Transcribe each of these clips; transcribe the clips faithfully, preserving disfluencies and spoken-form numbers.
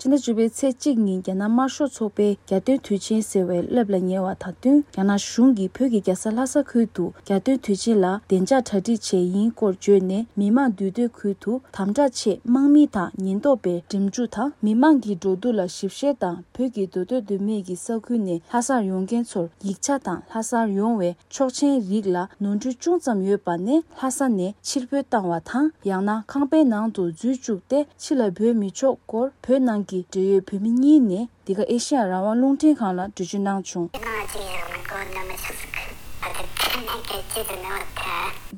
ཕྱི་ཟླ་བཅུ་པའི་ཚེས་གཅིག་ཉིན་རྒྱ་ནག་དམར་ཤོག་ཚོགས་པའི་རྒྱལ་སྟོན་དུས་ཆེན་ཟེར་བའི་རླབས་ལ་ཉེ་བ་དང་བསྟུན། རྒྱ་ནག་གཞུང་གིས་བོད་ཀྱི་རྒྱལ་ས་ལྷ་ས་ཁུལ་དུ་རྒྱལ་སྟོན་དུས་ཆེན་ལ་བདེ་འཇགས་གྲ་སྒྲིག་བྱས་ཡིན་སྐོར་བརྗོད་ནས། མི་མང་འདུས་སྡོད་ཁུལ་དུ་དམ་དྲག་ཆེད་དམག་མི་དང་ཉེན་རྟོག་པས་འགྲིམ་འགྲུལ་དང་མི་མང་གི་འགྲོ་འདུག་ལ་ཞིབ་བཤེར་དང་། བོད་ཀྱི་འདུས་སྡོད་འདུས་མི་གི་ས་ཁུལ་ནས་ལྷ་སར་ཡོང་མཁན་ཚོར་ཡིག་ཆ་དང་ལྷ་སར་ཡོང་བའི་ཆོག་མཆན་རིགས་ལ་ནོར་འཁྲུལ་ཅུང་ཙམ་ཡོད་པ་ནས་ལྷ་ས་ནས་ཕྱིར་འབུད་བཏང་བ་དང་། ཡང་ན་ཁང་པའི་ནང་དུ་འཛུལ་བཅུག་སྟེ་ཕྱི་ལ་འབོད་མི་ཆོག་སྐོར་བོད་ནང་གི་འབྲེལ་ཡོད་བོད་མི་གཉིས་ནས་འདི་ག་ཨེ་ཤེ་ཡ་རང་དབང་རླུང་འཕྲིན་ཁང་ལ་འགྲེལ་བརྗོད་གནང་བྱུང་།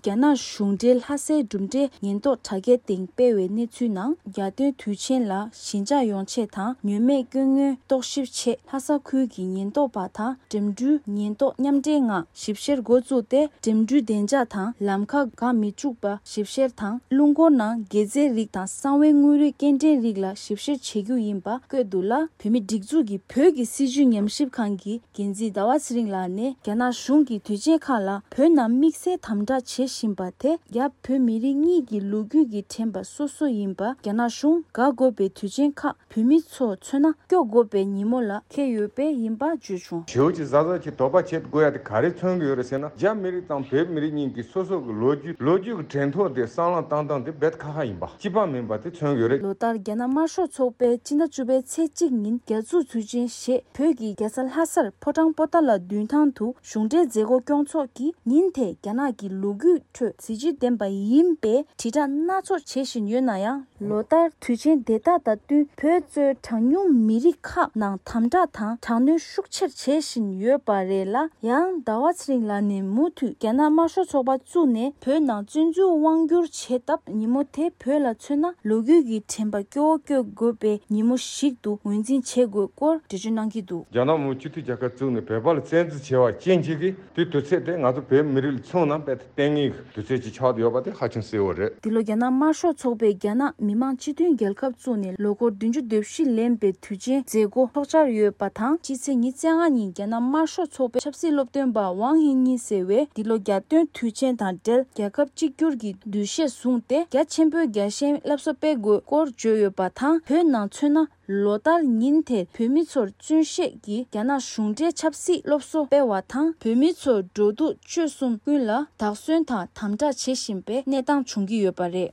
རྒྱ་ནག་གཞུང་འབྲེལ་ལྷ་སའི་གྲུབ་འབྲས་ཉེན་རྟོག་དྲ་རྒྱའི་སྟེང་སྤེལ་བའི་གནས་ཚུལ་ནང་། རྒྱལ་སྟོན་དུས་ཆེན་ལ་ཞི་འཇགས་ཡོང་ཆེད་དང་ཉེན་མེད་སྐྱོན་ངན་རྟོག་ཞིབ་ཆེད་ལྷ་ས་ཁུལ་གྱི་ཉེན་རྟོག་པ་དང་འགྲིམ་འགྲུལ་ཉེན་རྟོག་མཉམ་འབྲེལ་ངང་ཞིབ་བཤེར་འགོ་བཙུགས་ཏེ། འགྲིམ་འགྲུལ་བདེ་འཇགས་དང་ལམ་ཁ་འགག་མི་བཅུག་པ་ཞིབ་བཤེར་དང་། རླུང་འཁོར་ནང་སྒྱེ་རྫས་རིགས་དང་གསང་བའི་དངོས་རིགས་སྐྱེལ་འདྲེན་རིགས་ལ་ཞིབ་བཤེར་བྱེད་རྒྱུ་ཡིན་པ་བཀོད་འདུག་ལ། བོད་མིའི་སྒྲིག་འཛུགས་ཀྱི་བོད་ཀྱི་སྲིད་བྱུས་ཉམས་ཞིབ་ཁང་གི་འགན་འཛིན་ཟླ་བ་ཚེ་རིང་ལགས་ནས། རྒྱ་ནག་གཞུང་གིས་དུས་ཆེན་ཁག་ལ་བོད་ནང་དམིགས་བསལ་དམ་དྲག་བྱེད་བཞིན་པ་དེ་རྒྱ་བོད་མི་རིགས་གཉིས་ཀྱི་ལོ་རྒྱུས་ཀྱི་དྲན་པ་སོ་སོ་ཡིན་པ། རྒྱ་ནག་གཞུང་དགའ་དགོས་པའི་དུས་ཆེན་ཁག་བོད་མི་ཚོ་མཚོན་ན་སྐྱོ་དགོས་པའི་ཉིན་མོ་ལ་འཁེལ་ཡོད་པས་ཡིན་པ་བརྗོད་བྱུང་། ཞེའུ་ཅིག་གཟའ་གཟའ་གྱི་དོགས་པ་བྱེད་དགོས་ཡ་དེ་ག་རེ་མཚོན་གྱི་ཡོད་རེད་ཟེར་ན། རྒྱ་མི་རིགས་དང་བོད་མི་རིགས་གཉིས་ཀྱི་སོ་སོ་གི་ལོ་རྒྱུས་ལོ་རྒྱུས་ཀྱི་དྲན་ཐོ་དེ་བསམ་བློ་བཏང་སྟངས་དེ་རྦད་ཁག་ཁག་ཡིན་པ། གཅིག་པ་མིན་པ་དེ་མཚོན་གྱི་ཡོད་རེད། ལོ་ལྟར་རྒྱ་ནག་དམར་ཤོག་ཚོགས་པས་སྤྱི་ཟླ་བཅུ་པའི་ཚེས་གཅིག་ཉིན་རྒྱ་མཚོ་མཚོན་ཆེན་ཞེས་བོད་ཀྱི་རྒྱལ་ས་ལྷ་སར་ཕོ་བྲང་པོ་ཏཱ་ལ་མདུན་ཐང་དུ་གཞུང་འབྲེལ་མཛད་སྒོ་སྐྱོང་ཚོགས་ཀྱིས། ཉིན་དེ་རྒྱ་ནག་གི་ལོ་རྒྱུས་ཁྲོད་གཟི་བརྗིད་ལྡན་པ་ཡིན་པའི་དྲིལ་བསྒྲགས་སྣ་ཚོགས་བྱེད་བཞིན་ཡོད་ན་ཡང་། ལོ་ལྟར་དུས་ཆེན་དེ་དག་དང་བསྟུན་བོད་གཙོས་གྲངས་ཉུང་མི་རིགས་ཁག་ནང་དམ་དྲག་དང་དྲག་གནོན་ཤུགས་ཆེར་བྱེད་བཞིན་ཡོད་པ་རེད་ལ། ཡང་ཟླ་བ་ཚེ་རིང་ལགས་ནས་མུ་མཐུད་རྒྱ་ནག་དམར་ཤོག་ཚོགས་པ་བཙུགས་ནས་བོད་ནང་བཙན་འཛུལ་དབང་བསྒྱུར་བྱས་སྟབས། ཉིན་མོ་དེ་བོད་ལ་མཚོན་ན་ལོ་རྒྱུས་ཀྱི་དྲན་པ་སྐྱོ་བོ་སྐྱོ་དགོས་པའི་ཉིན་མོ་ཞིག་ཏུ་ངོས་འཛིན་བྱེད་དགོས་སྐོར་འགྲེལ་བརྗོད་གནང་གི་འདུག། རྒྱ་ནག་མི་དམངས་སྤྱི་མཐུན་རྒྱལ་ཁབ་བཙུགས་ནས་བོད་པ་ལ་བཙན་འཛུལ་བྱས་པ་རྐྱེན་གྱིས་ཀྱི་དེ་དུས་ཚོད་དེ་ང་ཚོ་བོད་མི་རིགས་ལ་མཚོན་ན་དཔེ་ལྟས་ངན་གྱི་དུས་ཚོད་ཅིག་ཆགས་བསྡད་ཡོད་པ་དེ་ཧ་ཅང་གསལ་བོ་རེད། འདི་ལོ་རྒྱ་ནག་དམར་ཤོག་ཚོགས་པས་རྒྱ་ནག་མི་དམངས་སྤྱི་མཐུན་རྒྱལ་ཁབ་བཙུགས་ནས་ལོ་འཁོར་བདུན་ཅུ་དོན་བཞི་ལོན་པའི་དུས་ཆེན་མཛད་སྒོ་ཚོགས་འཆར་ཡོད་པ་དང་། སྤྱི་ཚེས་ཉི་ཤུ་རྩ་ལྔ་ཉིན་རྒྱ་ནག་དམར་ཤོག་ཚོགས་པའི་ཆབ་སྲིད་སློབ་སྟོན་པ་ཝང་ཧིང་ཉིན་ཟེར་བས་འདི་ལོ་རྒྱལ་སྟོན་དུས་ཆེན་དང་འབྲེལ་རྒྱལ་ཁབ་གཅིག་གྱུར་གྱི་འདུ་ཤེས་བཟུང་སྟེ། རྒྱ་ཆེན་པོའི་རྒྱལ་ཞེན་སླར་གསོ་སྤེལ་དགོས་སྐོར་བརྗོད་ཡོད་པ་དང་། བོད་ནང་མཚོན་ན། ལོ་ལྟར་ཉིན་དེར་བོད་མི་ཚོར་བཙུན་ཤེད་ཀྱིས་རྒྱ་ནག་གཞུང་འབྲེལ་ཆབ་སྲིད་སློབ་གསོ་སྤེལ་བ་དང་། བོད་མི་ཚོར་འགྲོ་འདུག་སྤྱོད་གསུམ་ཀུན་ལ་བདག་སྐྱོང་དང་དམ་དྲག་བྱེད་བཞིན་པའི་གནས་སྟངས་བྱུང་གི་ཡོད་པ་རེད།